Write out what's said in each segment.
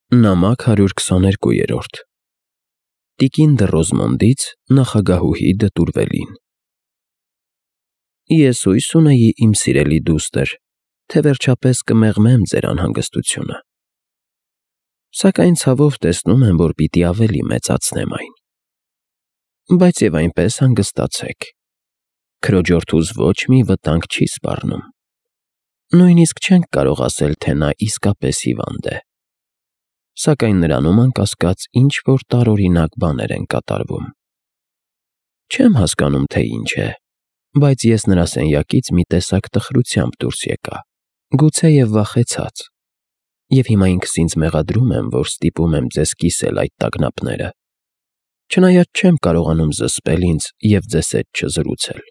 Նամակ 122 Տիկին դը Ռոզմոնդից նախագահուհի դտուրվելին։ Ես հույս ունեի, իմ սիրելի դուստր, թե վերջապես կմեղմեմ ձեր անհանգստությունը։ Սակայն ցավով տեսնում եմ, որ պիտի ավելի մեծացնեմ այն։ Բայց եւ այնպես հանգստացեք։ Քրոջորդուս ոչ մի վտանգ չի սպառնում։ Նույնիսկ չենք կարող ասել, թե նա իսկապես հիվանդ է։ Սակայն նրանում անկասկած ինչ-որ տարօրինակ բաներ են կատարվում։ Չեմ հասկանում, թե ինչ է, բայց ես նրա սենյակից մի տեսակ տխրությամբ դուրս եկա, գուցեև վախեցած, և հիմա ինքս ինձ մեղադրում եմ, որ ստիպում եմ ձեզ կիսել այդ տագնապները, չնայած չեմ կարողանում զսպել ինձ և ձեզ հետ չզրուցել։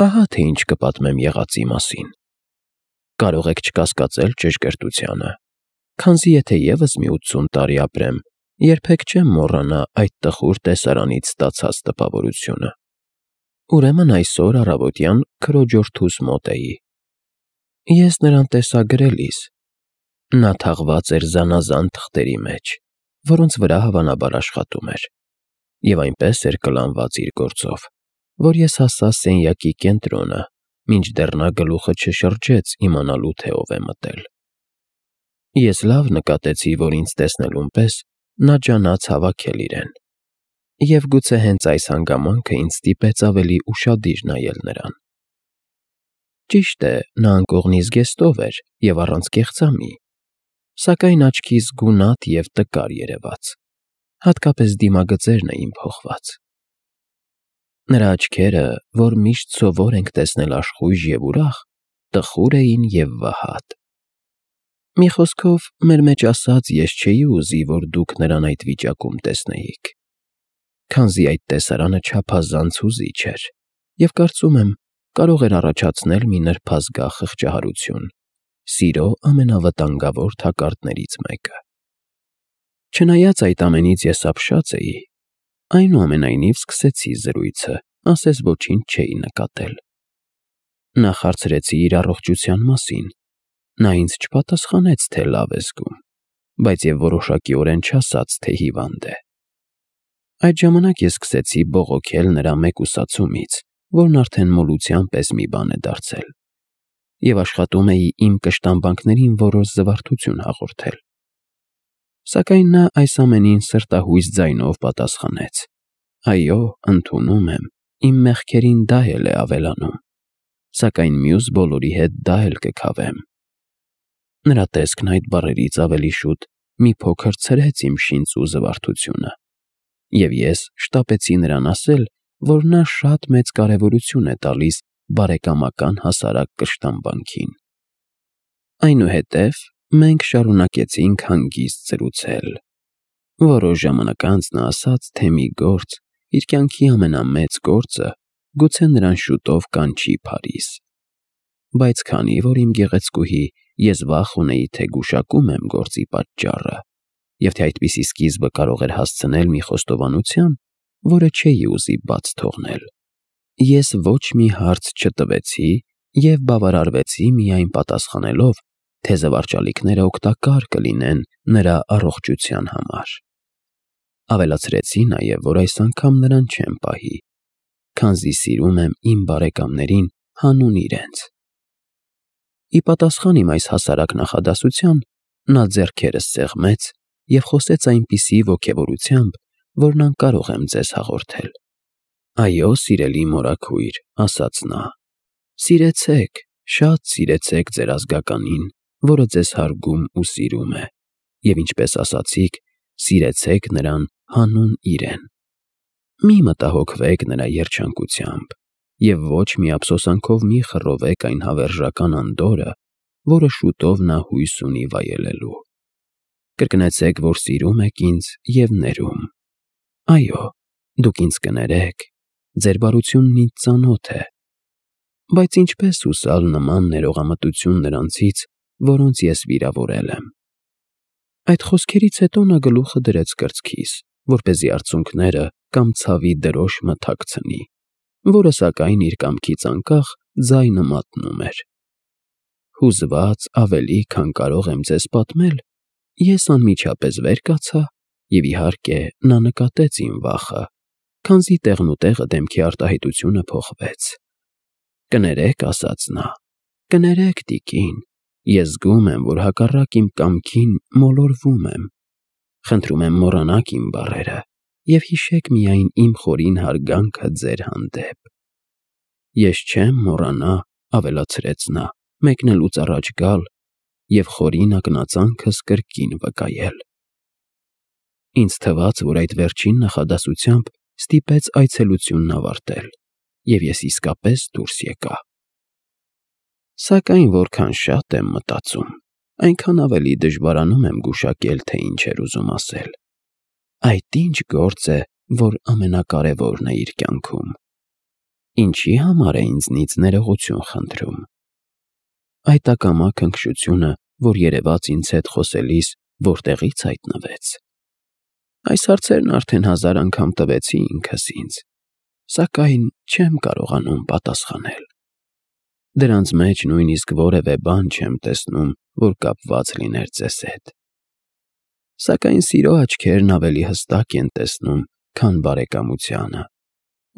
Ահա թե ինչ կպատմեմ եղածի մասին։ Կարող եք չկասկածել ճշգրտությանը, քանզի եթե ևս մի 80 տարի ապրեմ, երբեք չեմ մոռանա այդ տխուր տեսարանից ստացած տպավորությունը։ Ուրեմն այսօր առավոտյան քրոջորդուս մոտ էի։ Ես նրան տեսա գրելիս։ Նա թաղված էր զանազան թղթերի մեջ, որոնց վրա հավանաբար աշխատում էր, և այնպես էր կլանված իր գործով, որ ես հասա սենյակի կենտրոնը, մինչդեռ նա գլուխը չշրջեց իմանալու, թե ով է մտել։ Ես լավ նկատեցի, որ ինձ տեսնելուն պես նա ջանաց հավաքել իրեն, և գուցե հենց այս հանգամանքը ինձ ստիպեց ավելի ուշադիր նայել նրան։ Ճիշտ է, նա անկողնի զգեստով էր և առանց կեղծամի, սակայն աչքիս գունատ և տկար երևաց, հատկապես դիմագծերն էին փոխված։ Նրա աչքերը, որ միշտ սովոր ենք տեսնել աշխույժ և ուրախ, տխուր էին և վհատ։ Մի խոսքով, մեր մեջ ասած, ես չէի ուզի, որ դուք նրան այդ վիճակում տեսնեիք, քանզի այդ տեսարանը չափազանց հուզիչ էր և կարծում եմ, կարող էր առաջացնել մի նրբազգա խղճահարություն, սիրո ամենավտանգավոր թակարդներից մեկը։ Չնայած այդ ամենից ես ապշած էի, այնուամենայնիվ սկսեցի զրույցը, ասես ոչինչ չէի նկատել։ Նախ հարցրեցի իր առողջության մասին։ Նա ինձ չպատասխանեց, թե լավ է զգում, բայց և որոշակիորեն չասաց, թե հիվանդ է։ Այդ ժամանակ ես սկսեցի բողոքել նրա մեկուսացումից, որն արդեն մոլության պես մի բան է դարձել, և աշխատում էի իմ կշտամբանքներին որոշ զվարթություն հաղորդել։ Սակայն նա այս ամենին սրտահույս ձայնով պատասխանեց. «Այո, ընդունում եմ, իմ մեղքերին դա էլ է ավելանում, սակայն մյուս բոլորի հետ դա էլ կքավեմ»։ Նրա տեսքն այդ բառերից ավելի շուտ մի փոքր ցրեց իմ շինծ ու զվարթությունը, և ես շտապեցի նրան ասել, որ նա շատ մեծ կարևորություն է տալիս բարեկամական հասարակ կշտամբանքին։ Այնուհետև մենք շարունակեցինք հանգիստ զրուցել։ Որոշ ժամանակ անց նա ասաց, թե մի գործ, իր կյանքի ամենամեծ գործը, գուցե նրան շուտով կանչի Փարիզ։ Բայց քանի որ իմ գեղեցկուհի, ես վախ ունեի, թե գուշակում եմ գործի պատճառը, և թե այդպիսի սկիզբը կարող էր հասցնել մի խոստովանության, որը չէի ուզի բաց թողնել, ես ոչ մի հարց չտվեցի և բավարարվեցի միայն պատասխանելով, թե զվարճալիքները օգտակար կլինեն նրա առողջության համար։ Ավելացրեցի նաև, որ այս անգամ նրան չեմ պահի, քանզի սիրում եմ իմ բարեկամներին հանուն իրենց։ Ի պատասխան իմ այս հասարակ նախադասության, նա ձեռքերս սեղմեց և խոսեց այնպիսի ոգևորությամբ, որն անկարող եմ ձեզ հաղորդել։ «Այո, սիրելի մորաքույր», ֊ ասաց նա, ֊ «սիրեցեք, շատ սիրեցեք ձեր ազգականին, որը ձեզ հարգում ու սիրում է, և ինչպես ասացիք, սիրեցեք նրան հանուն իրեն։ Մի մտահոգվեք նրա երջանկությամբ և ոչ մի ափսոսանքով մի խռովեք այն հավերժական անդորրը, որը շուտով նա հույս ունի վայելելու։ Կրկնեցեք, որ սիրում եք ինձ և ներում։ Այո, դուք ինձ կներեք, ձեր բարությունն ինձ ծանոթ է։ Բայց ինչպես հուսալ նման ներողամտություն նրանցից, որոնց ես վիրավորել եմ»։ Այդ խոսքերից հետո նա գլուխը դրեց կրծքիս, որպեսզի արցունքները կամ ցավի դրոշը թաքցնի, որը սակայն իր կամքից անկախ ձայնը մատնում էր։ Հուզված ավելի, քան կարող եմ ձեզ պատմել, Ես անմիջապես վեր կացա, և իհարկե նա նկատեց իմ վախը, քանզի տեղնուտեղը դեմքի արտահայտությունը փոխվեց։ «Կներեք», ասաց նա, «կներեք, տիկին, ես զգում եմ, որ հակառակ իմ կամքին մոլորվում եմ։ Խնդրում եմ մոռանաք իմ բառերը և հիշեք միայն իմ խորին հարգանքը ձեր հանդեպ»։ «Ես չեմ մոռանա», ավելացրեց նա, «մեկնելուց առաջ գալ և խորին ակնածանքս կրկին վկայել»։ Ինձ թվաց, որ այդ վերջին նախադասությամբ ստիպեց այցելությունն ավարտել, և ես իսկապես դուրս եկա։ Սակայն որքան շատ եմ մտածում, այնքան ավելի դժվարանում եմ գուշակել, թե ինչ էր ուզում ասել։ Այդ ինչ գործ է, որ ամենակարևորն է իր կյանքում։ Ինչի համար է ինձնից ներողություն խնդրում։ Այդ ակամա քնքշությունը, որ երևաց ինձ հետ խոսելիս, որտեղի՞ց հայտնվեց։ Այս հարցերն արդեն 1000 անգամ տվեցի ինքս ինձ, սակայն չեմ կարողանում պատասխանել։ Դրանց մեջ նույնիսկ որևէ բան չեմ տեսնում, որ կապված լիներ ձեզ հետ։ Սակայն սիրո աչքերն ավելի հստակ են տեսնում, քան բարեկամությանը,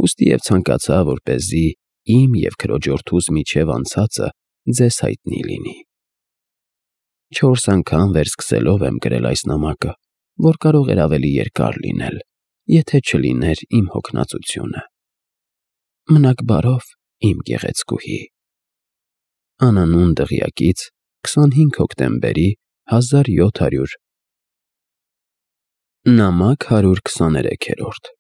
ուստի և ցանկացա, որպեսզի իմ և քրոջորդուս միջև անցածը ձեզ հայտնի լինի։ 4 անգամ վերսկսելով եմ գրել այս նամակը, որ կարող էր ավելի երկար լինել, եթե չլիներ իմ հոգնածությունը։ Մնաք բարով, իմ գեղեցկուհի։ Անանուն դղյակից 25 հոկտեմբերի 1700 Նամակ 123-րդ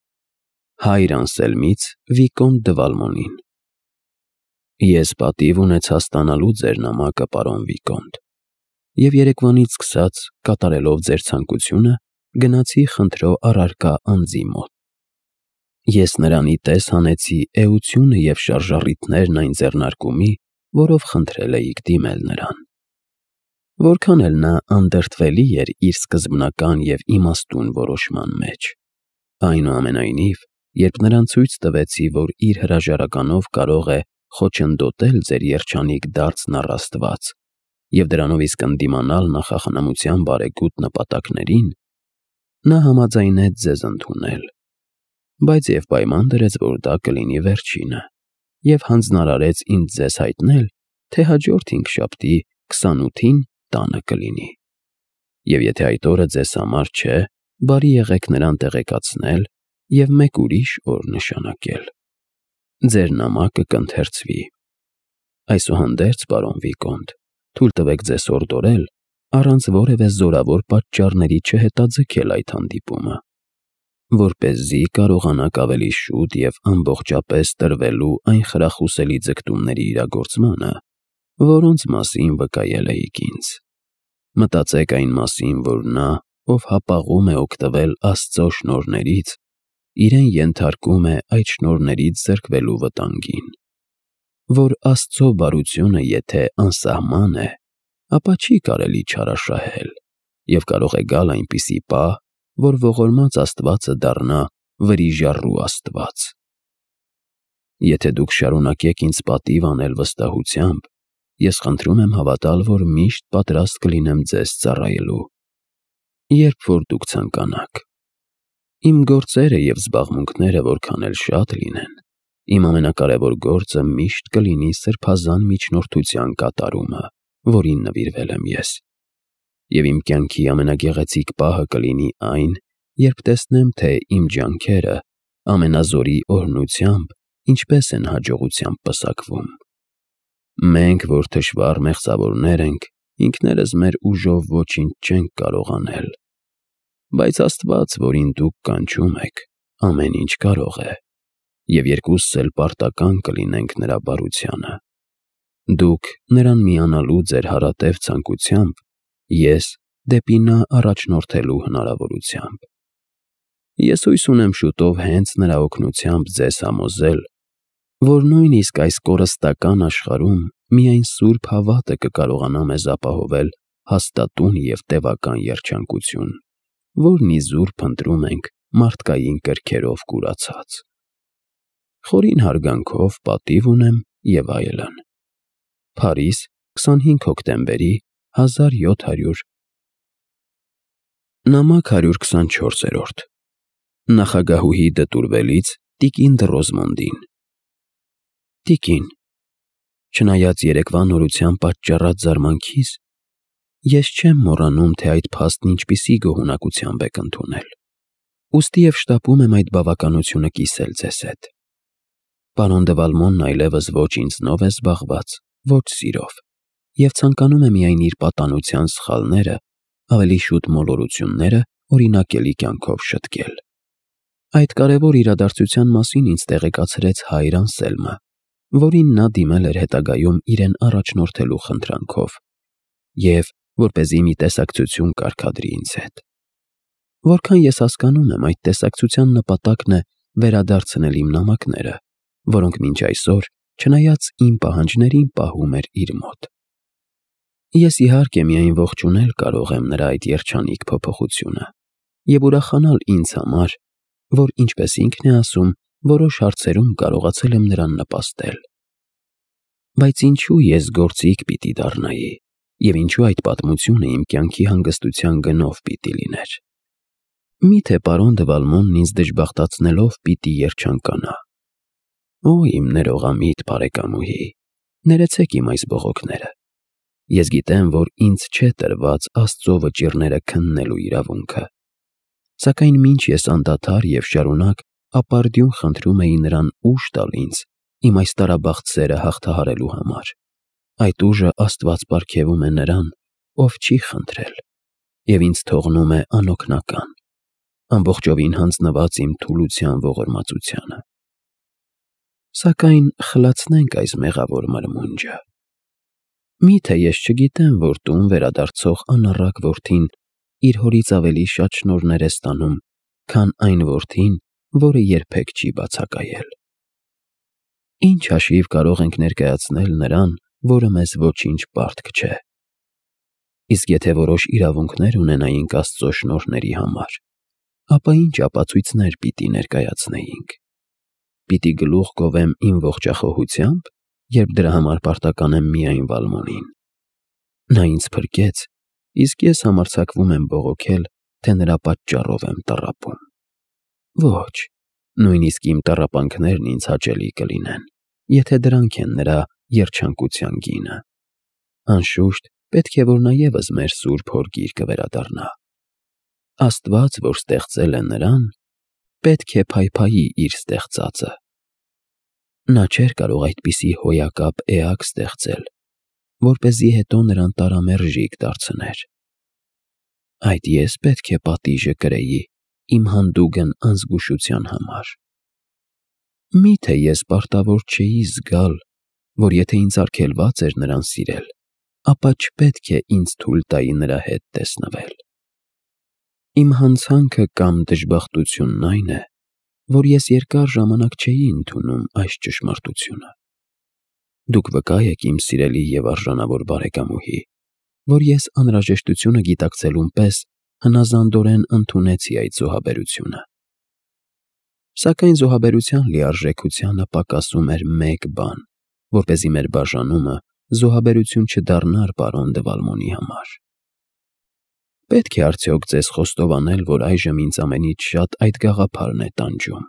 Հայր Անսելմից Վիկոնտ դը Վալմոնին։ Ես պատիվ ունեցա ստանալու ձեր նամակը, պարոն Վիկոնտ, և երեկվանից սկսած, կատարելով ձեր ցանկությունը, գնացի խնդրո առարկա անձի մոտ։ Ես նրան ի տես հանեցի էությունը և շարժառիթներն այն ձեռնարկումի, որով խնդրել էիք դիմել նրան։ Որքան էլ նա անդրդվելի էր իր սկզբնական և իմաստուն որոշման մեջ, այնուամենայնիվ, երբ նրան ցույց տվեցի, որ իր հրաժարականով կարող է խոչընդոտել ձեր երջանիկ դարձն առ Աստված և դրանով իսկ ընդդիմանալ նախախնամության բարեգութ նպատակներին, նա համաձայնեց ձեզ ընդունել, բայց և պայման դրեց, որ դա կլինի վերջինը, և հանձնարարեց ինձ ձեզ հայտնել, թե հաջորդ հինգշաբթի 28-ին տանը կլինի, և եթե այդ օրը ձեզ համար չէ, բարի եղեք նրան տեղեկացնել և մեկ ուրիշ օր նշանակել։ Ձեր նամակը կընթերցվի։ Այսուհանդերձ, պարոն Վիկոնտ, թույլ տվեք ձեզ հորդորել, առանց որևէ զորավոր պատճառների չհետաձգել այդ հանդիպումը, որպեսզի կարողանաք ավելի շուտ և ամբողջապես տրվելու այն խրախուսելի ձգտումների իրագործմանը, որոնց մասին վկայել էիք ինձ։ Մտածեք այն մասին, որ նա, ով հապաղում է օգտվել Աստծո շնորհներից, իրեն ենթարկում է այդ շնորհներից զրկվելու վտանգին, որ Աստծո բարությունը եթե անսահման է, ապա չի կարելի չարաշահել, և կարող է գալ այնպիսի պահ, որ ողորմած Աստվածը դառնա վրիժառու Աստված։ Եթե դուք շարունակեք ինձ պատիվ անել վստահությամբ, ես խնդրում եմ հավատալ, որ միշտ պատրաստ կլինեմ ձեզ ծառայելու, երբ որ դուք ցանկանաք։ Իմ գործերը և զբաղմունքները որքան էլ շատ լինեն, իմ ամենակարևոր գործը միշտ կլինի սրբազան միջնորդության կատարումը, որին նվիրվել եմ ես, և իմ կյանքի ամենագեղեցիկ պահը կլինի այն, երբ տեսնեմ, թե իմ ջանքերը ամենազորի օրհնությամբ ինչպես են հաջողությամբ պսակվում։ Մենք, որ թշվառ մեղսավորներ ենք, ինքներս մեր ուժով ոչինչ չենք կարող անել, բայց Աստված, որին դուք կանչում եք, ամեն ինչ կարող է, և երկուսս էլ պարտական կլինենք նրա բարությանը։ Դուք նրան միանալու ձեր հարատև ցանկությամբ, ես դեպի նա առաջնորդելու հնարավորությամբ։ Ես հույս ունեմ շուտով հենց նրա օգնությամբ ձեզ համոզել, որ նույնիսկ այս կորստական աշխարհում միայն սուրբ հավատը կկարողանա մեզ ապահովել հաստատուն և տևական երջանկություն, որն իզուր փնտրում ենք մարդկային կրքերով կուրացած։ Խորին հարգանքով պատիվ ունեմ և այլն։ Փարիզ, 25 հոկտեմբերի 1700 Նամակ 124-րդ Նախագահուհի դտուրվելից տիկին Դռոզմոնդին։ Տիկին, չնայած երեկվա նորության պատճառած զարմանքիս, ես չեմ մոռանում, թե այդ փաստն ինչպիսի գոհունակությամբ եք ընդունել, ուստի և շտապում եմ այդ բավականությունը կիսել ձեզ հետ։ Պարոն դը Վալմոնն այլևս ոչ ինձնով է զբաղված, ոչ սիրով, և ցանկանում է միայն իր պատանության սխալները, ավելի շուտ մոլորությունները օրինակելի կյանքով շտկել։ Այդ կարևոր իրադարձության մասին ինձ տեղեկացրեց հայր Անսելմը, որին նա դիմել էր հետագայում իրեն առաջնորդելու խնդրանքով, և որպեսզի մի տեսակցություն կարգադրի ինձ հետ։ Որքան ես հասկանում եմ, այդ տեսակցության նպատակն է վերադարձնել իմ նամակները, որոնք մինչ այսօր, չնայած իմ պահանջներին, պահում էր իր մոտ։ Ես իհարկե միայն ողջունել կարող եմ նրա այդ երջանիկ փոփոխությունը և ուրախանալ ինձ համար, որ, ինչպես ինքն է ասում, որոշ հարցերում կարողացել եմ նրան նպաստել։ Բայց ինչու ես գործիք պիտի դառնայի, և ինչու այդ պատմությունը իմ կյանքի հանգստության գնով պիտի լիներ։ Միթե պարոն դը Վալմոնն ինձ դժբախտացնելով պիտի երջանկանա։ Օ, իմ ներողամիտ բարեկամուհի, ներեցեք իմ այս բողոքները։ Ես գիտեմ, որ ինձ չէ տրված Աստծո վճիռները քննելու իրավունքը, սակայն մինչ ես անդադար և շարունակ ապարդյուն խնդրում էի նրան ուժ տալ ինձ իմ այս տարաբաղտ սերը հաղթահարելու համար, այդ ուժը Աստված պարգևում է նրան, ով չի խնդրել, և ինձ թողնում է անօգնական, ամբողջովին հանձնված իմ թուլության ողորմածությանը։ Սակայն խլացնենք այս մեղավոր մրմունջը։ Միթե ես չգիտեմ, որ տուն վերադարձող անառակ որդին իր հորից ավելի շատ շնորհներ է ստանում, քան այն որդին, որը երբեք չի բացակայել։ Ինչ հաշիվ կարող ենք ներկայացնել նրան, որը մեզ ոչինչ պարտք չէ։ Իսկ եթե որոշ իրավունքներ ունենայինք Աստծո շնորհների համար, ապա ինչ ապացույցներ պիտի ներկայացնեինք։ Պիտի գլուխ գովեմ իմ ողջախոհությամբ, երբ դրա համար պարտական եմ միայն Վալմոնին։ Նա ինձ փրկեց, իսկ ես համարձակվում եմ բողոքել, թե նրա պատճառով եմ տառապում։ Ոչ, նույնիսկ իմ տառապանքներն ինձ հաճելի կլինեն, եթե դրանք են նրա երջանկության գինը։ Անշուշտ, պետք է, որ նա ևս մեր սուրբ Հոր գիրկը վերադառնա։ Աստված, որ ստեղծել է նրան, պետք է փայփայի իր ստեղծածը։ Նա չէր կարող այդպիսի հոյակապ էակ ստեղծել, որպեսզի հետո նրան տարամերժիկ դարձներ։ Այդ ես պետք է պատիժը կրեի իմ հանդուգն անզգուշության համար։ Միթե ես պարտավոր չէի զգալ, որ եթե ինձ արգելված էր նրան սիրել, ապա չպետք է ինձ թույլ տայի նրա հետ տեսնվել։ Իմ հանցանքը կամ դժբախտությունն այն է, որ ես երկար ժամանակ չէի ընդունում այս ճշմարտությունը։ Դուք վկա եք, իմ սիրելի և արժանավոր բարեկամուհի, որ ես անհրաժեշտությունը գիտակցելուն պես հնազանդորեն ընդունեցի այդ զոհաբերությունը։ Սակայն զոհաբերության լիարժեքությանը պակասում էր մեկ բան, որպեսզի մեր բաժանումը զոհաբերություն չդառնար պարոն դը Վալմոնի համար։ Պետք է արդյոք ձեզ խոստովանել, որ այժմ ինձ ամենից շատ այդ գաղափարն է տանջում։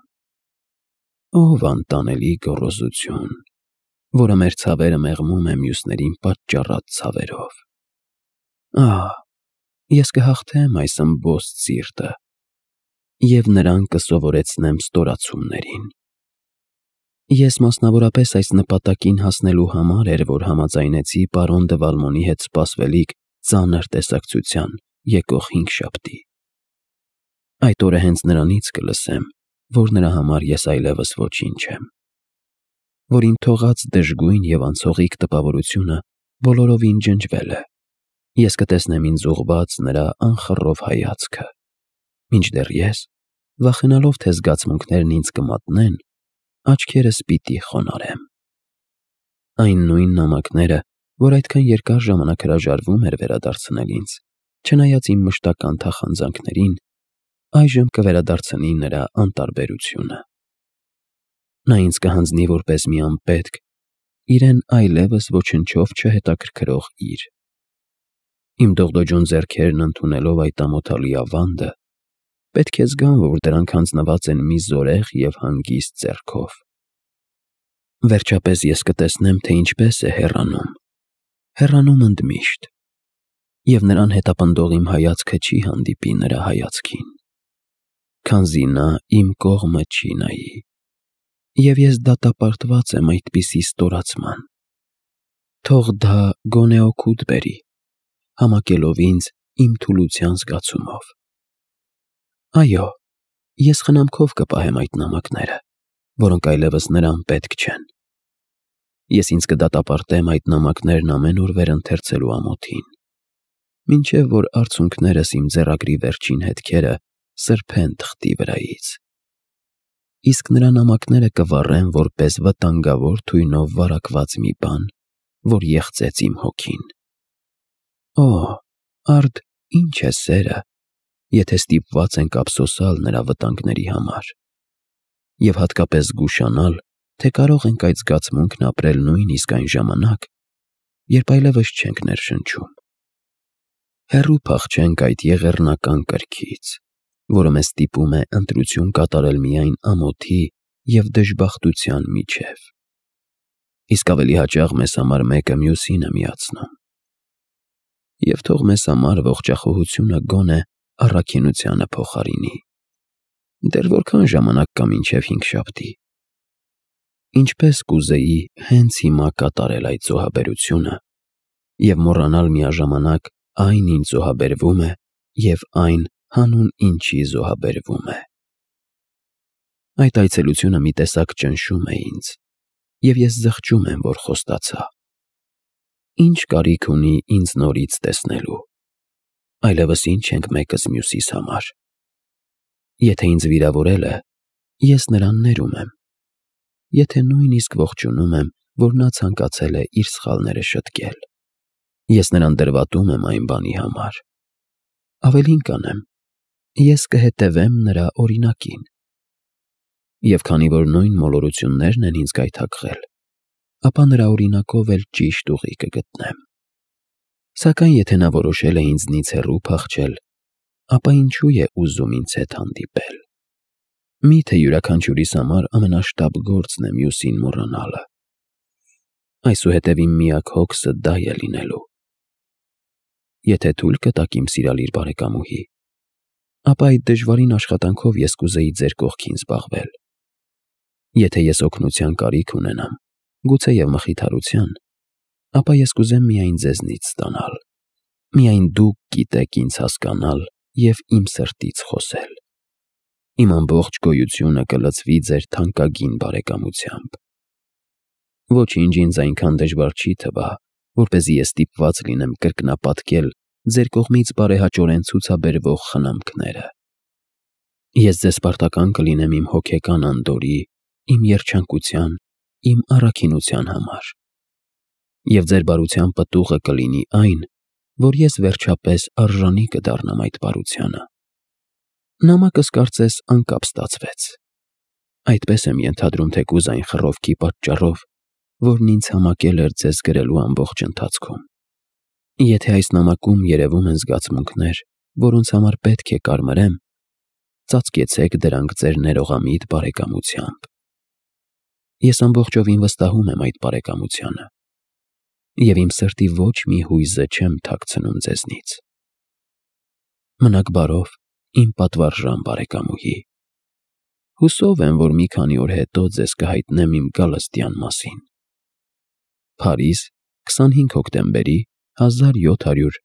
Ով անտանելի գոռոզություն, որը մեր ցավերը մեղմում է մյուսներին պատճառած ցավերով։ Ահ, ես կհաղթեմ այս ըմբոստ սիրտը և նրան կսովորեցնեմ ստորացումներին։ Ես մասնավորապես այս նպատակին հասնելու համար էր, որ համաձայնեցի պարոն դը Վալմոնի հետ սպասվելիք ծանր տեսակցության եկող հինգշաբթի։ Այդ օրը հենց նրանից կլսեմ, որ նրա համար ես այլևս ոչինչ եմ, որ իմ թողած դժգույն և անցողիկ տպավորությունը բոլորովին ջնջվել է։ Ես կտեսնեմ ինձ ուղղված նրա անխռով հայացքը, մինչդեռ ես, վախենալով, թե զգացմունքներն ինձ կմատնեն, աչքերս պիտի խոնարհեմ։ Այն նույն նամակները, որ այդքան երկար ժամանակ հրաժարվում էր վերադարձնել ինձ, չնայած իմ մշտական թախանձանքներին, այժմ կվերադարձնի նրա անտարբերությունը։ Նա ինձ կհանձնի որպես մի անպետք, իրեն այլևս ոչնչով չհետաքրքրող իր։ Իմ դողդոջուն ձեռքերն ընդունելով այդ ամոթալի ավանդը, պետք է զգան, որ դրանք հանձնված են մի զորեղ և հանգիստ ձեռքով։ Վերջապես ես կտեսնեմ, թե ինչպես է հեռանում ընդմիշտ, և նրան հետապնդող իմ հայացքը չի հանդիպի նրա հայացքին, քանզի նա իմ կողմը չի նայի, և ես դատապարտված եմ այդպիսի ստորացման։ Թող դա գոնե օգուտ բերի, համակելով ինձ իմ թուլության զգացումով։ Այո, ես խնամքով կպահեմ այդ նամակները, որոնք այլևս նրան պետք չեն։ Ես ինձ կդատապարտեմ այդ նամակներն ամեն օր վերընթերցելու ամոթին, մինչև որ արցունքներս իմ ձեռագրի վերջին հետքերը սրբեն թղթի վրայից։ Իսկ նրա նամակները կվառեմ որպես վտանգավոր թույնով վարակված մի բան, որ եղծեց իմ հոգին։ Օ, արդ ինչ է սերը, եթե ստիպված ենք ափսոսալ նրա վտանգների համար, և հատկապես զգուշանալ, թե կարող ենք այդ զգացմունքն ապրել նույնիսկ այն ժամանակ, երբ այլևս չենք ներշնչում։ Հեռու փախչենք այդ եղեռնական կրքից, որը մեզ ստիպում է ընտրություն կատարել միայն ամոթի և դժբախտության միջև, իսկ ավելի հաճախ մեզ համար մեկը մյուսին է միացնում։ Եվ թող մեզ համար ողջախոհությունը գոնե առաքինությանը փոխարինի։ Դեռ որքան ժամանակ կա մինչև հինգշաբթի։ Ինչպես կուզեի հենց հիմա կատարել այդ զոհաբերությունը և մոռանալ միաժամանակ այն ինչ զոհաբերվում է և այն, հանուն ինչի զոհաբերվում է։ Այդ այցելությունը մի տեսակ ճնշում է ինձ, և ես զղջում եմ, որ խոստացա։ Ինչ կարիք ունի ինձ նորից տեսնելու։ Այլևս ինչ ենք մեկս մյուսիս համար։ Եթե ինձ վիրավորել է, ես նրան ներում եմ։ Եթե նույնիսկ ողջունում եմ, որ նա ցանկացել է իր սխալները շտկել, ես նրան դրվատում եմ այն բանի համար։ Ավելին կանեմ, ես կհետևեմ նրա օրինակին։ Եվ քանի որ նույն մոլորություններն են ինձ գայթակղել, ապա նրա օրինակով էլ ճիշտ ուղի կգտնեմ։ Սակայն եթե նա որոշել է ինձնից հեռու փախչել, ապա ինչու է ուզում ինձ հետ հանդիպել։ Միթե յուրաքանչյուրիս համար ամենաշտապ գործն է մյուսին մոռանալը։ Այսուհետև իմ միակ հոգսը դա է լինելու։ Եթե թույլ կտաք իմ սիրալիր բարեկամուհի, ապա այդ դժվարին աշխատանքով ես կուզեի ձեր կողքին զբաղվել։ Եթե ես օգնության կարիք ունենամ, գուցեև մխիթարության, ապա ես կուզեմ միայն ձեզնից ստանալ։ Միայն դուք գիտեք ինձ հասկանալ և իմ սրտից խոսել։ Իմ ամբողջ գոյությունը կլցվի ձեր թանկագին բարեկամությամբ։ Ոչինչ ինձ այնքան դժվար չի թվա, որպեսզի ես ստիպված լինեմ կրկնապատկել ձեր կողմից բարեհաճորեն ցուցաբերվող խնամքները։ Ես ձեզ պարտական կլինեմ իմ հոգեկան անդորրի, իմ երջանկության, իմ առաքինության համար։ Եվ ձեր բարության պտուղը կլինի այն, որ ես վերջապես արժանի կդառնամ այդ բարությանը։ Նամակս կարծես անկապ ստացվեց։ Այդպես եմ ենթադրում թեկուզ այն խռովքի պատճառով, որն ինձ համակել էր ձեզ գրելու ամբողջ ընթացքում։ Եթե այս նամակում երևում են զգացմունքներ, որոնց համար պետք է կարմրեմ, ծածկեցեք դրանք ձեր ներողամիտ բարեկամությամբ։ Ես ամբողջովին վստահում եմ այդ բարեկամությանը, և իմ սրտի ոչ մի հույզը չեմ թաքցնում ձեզնից։ Մնաք բարով, իմ պատվարժան բարեկամուհի։ Հուսով եմ, որ մի քանի օր հետո ձեզ կհայտնեմ իմ գալստյան մասին։ Փարիզ, 25 հոկտեմբերի 1700